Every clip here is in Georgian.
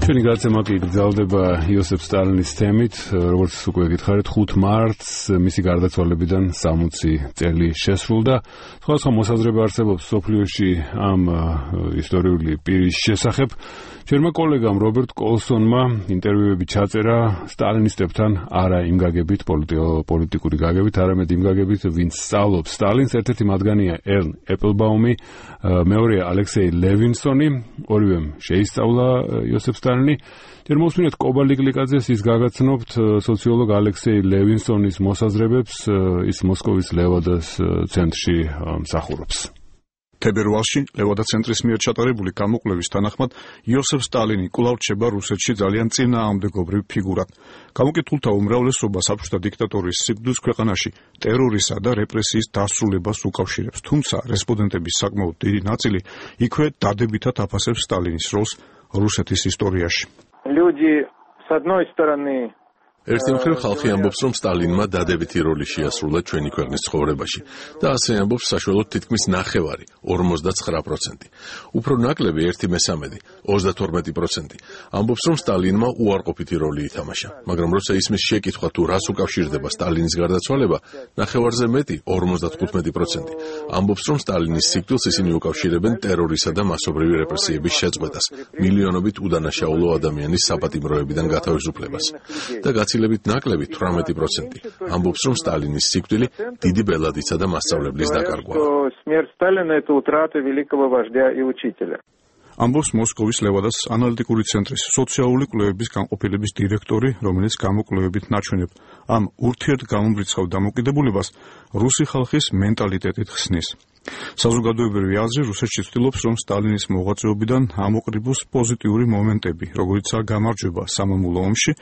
ჩვენი გადაცემა კი გრძელდება იოსებ სტალინის თემით, როგორც უკვე გითხარით, 5 მარტს მისი გარდაცვალებიდან 60 წელი შესრულდა. სხვადასხვა მოსაზრება არსებობს მსოფლიოში ამ ისტორიული პირის შესახებ. ჩვენმა კოლეგამ რობერტ კოლსონმა ინტერვიუები ჩაწერა სტალინისტებთან, არა იმ გაგებით, პოლიტიკური გაგებით, არამედ იმ გაგებით, ვინც სწავლობს სტალინს. ერთ-ერთი მათგანია ერნ ეპლბაუმი, მეორეა ალექსეი ლევინსონი, ორივემ შეისწავლა იოსებ სტალინი. ჯერ მოვსმინეთ კობა ლიკლიკაძეს, ის გაგაცნობთ სოციოლოგ ალექსეი ლევინსონის მოსაზრებებს, ის მოსკოვის ლევადას ცენტრში მსახურობს. თებერვალში ლევადა ცენტრის მიერ ჩატარებული გამოკვლევის თანახმად იოსებ სტალინი კვლავ რჩება რუსეთში ძალიან წინააღმდეგობრივ ფიგურად. გამოკითხულთა უმრავლესობა საბჭოთა დიქტატორის სიკვდილს ქვეყანაში ტერორისა და რეპრესიის დასრულებას უკავშირებს, თუმცა რესპონდენტების საკმაოდ დიდი ნაწილი იქვე დადებითად აფასებს სტალინის როლს რუსეთის ისტორიაში. ერთი მხრივ ხალხი ამბობს, რომ სტალინმა დადებითი როლი შეასრულა ჩვენი ქვეყნის ცხოვრებაში და ასე ამბობს საშუალოდ თითქმის 49%. უფრო ნაკლები 1/13, 32% ამბობს, რომ სტალინმა უარყოფითი როლი ითამაშა, მაგრამ როცა ისმის შეკითხვა თუ რას უკავშირდება სტალინის გარდაცვალება, 9-ზე მეტი, 55% ამბობს, რომ სტალინის სიკვდილს ისინი უკავშირებენ ტერორისა და მასობრივი რეპრესიების შეწყვეტას, მილიონობით უდანაშაულო ადამიანის საპატიმროებიდან გათავისუფლებას და ლებით ნაკლები 18% ამბობს, რომ სტალინის სიკვდილი დიდი ბელადისა და მასწავლებლის დაკარგვაა. ამბობს მოსკოვის ლევადას ანალიტიკური ცენტრის სოციალური კვლევების განყოფილების დირექტორი, რომელიც გამოკვლევებით ნაჩვენებ ამ ურთიერთგამომრიცხავ დამოკიდებულებას რუსი ხალხის მენტალიტეტით ხსნის. საზოგადოებრივი აზრი რუსეთში ცდილობს, რომ სტალინის მოღვაწეობიდან ამოყრიბოს პოზიტიური მომენტები, როგორიცაა გამარჯვება სამამულო ომში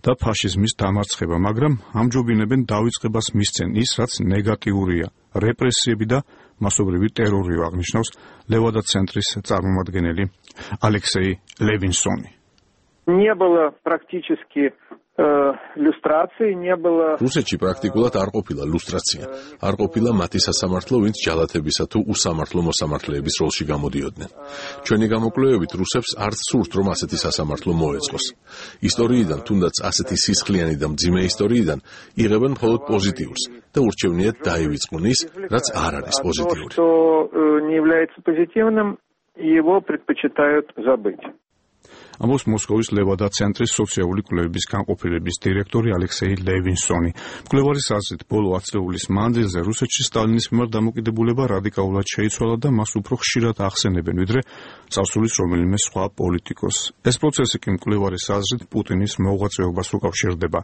და ფაშიზმის დამარცხება, მაგრამ ამჯობინებენ დავიწყებას მისცენ ის, რაც ნეგატიურია, რეპრესიები და მასობრივი ტერორი, აღნიშნავს ლევადა ცენტრის წარმომადგენელი ალექსეი ლევინსონი. რუსეთში პრაქტიკულად არ ყოფილა ლუსტრაცია, არ ყოფილა მათი სასამართლო, ვინც ჯალათებისა თუ უსამართლო მოსამართლეების როლში გამოდიოდნენ. ჩვენი გამოკვლევებით რუსებს არც სურთ, რომ ასეთი სასამართლო მოეწყოს. ისტორიიდან, თუნდაც ასეთი სისხლიანი და მძიმე ისტორიიდან იღებენ მხოლოდ პოზიტიურს და ურჩევნიათ დაივიწყონ ის, რაც არ არის პოზიტიური. ამბობს მოსკოვის ლევადა ცენტრის სოციალური კვლევების განყოფილების დირექტორი ალექსეი ლევინსონი. მკვლევარის აზრით, ბოლო ათწლეულის მანძილზე რუსეთში სტალინის მიმართ დამოკიდებულება რადიკალურად შეიცვალა და მას უფრო ხშირად ახსენებენ, ვიდრე წარსულის რომელიმე სხვა პოლიტიკოს. ეს პროცესი კი მკვლევარის აზრით პუტინის მოღვაწეობას უკავშირდება.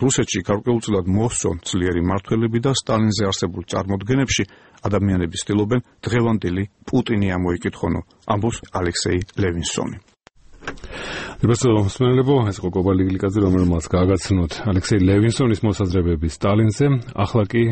რუსეთში გარკვეულწილად მოსწონ ძლიერი მმართველები და სტალინზე არსებულ წარმოდგენებში ადამიანები ცდილობენ დღევანდელი პუტინი ამოიკითხონო, ამბობს ალექსეი ლევინსონი. ეს იყო კობა ლიკლიკაძე, რომელმაც გააგაცნოთ ალექსეი ლევინსონის მოსაზრებები სტალინზე. ახლა კი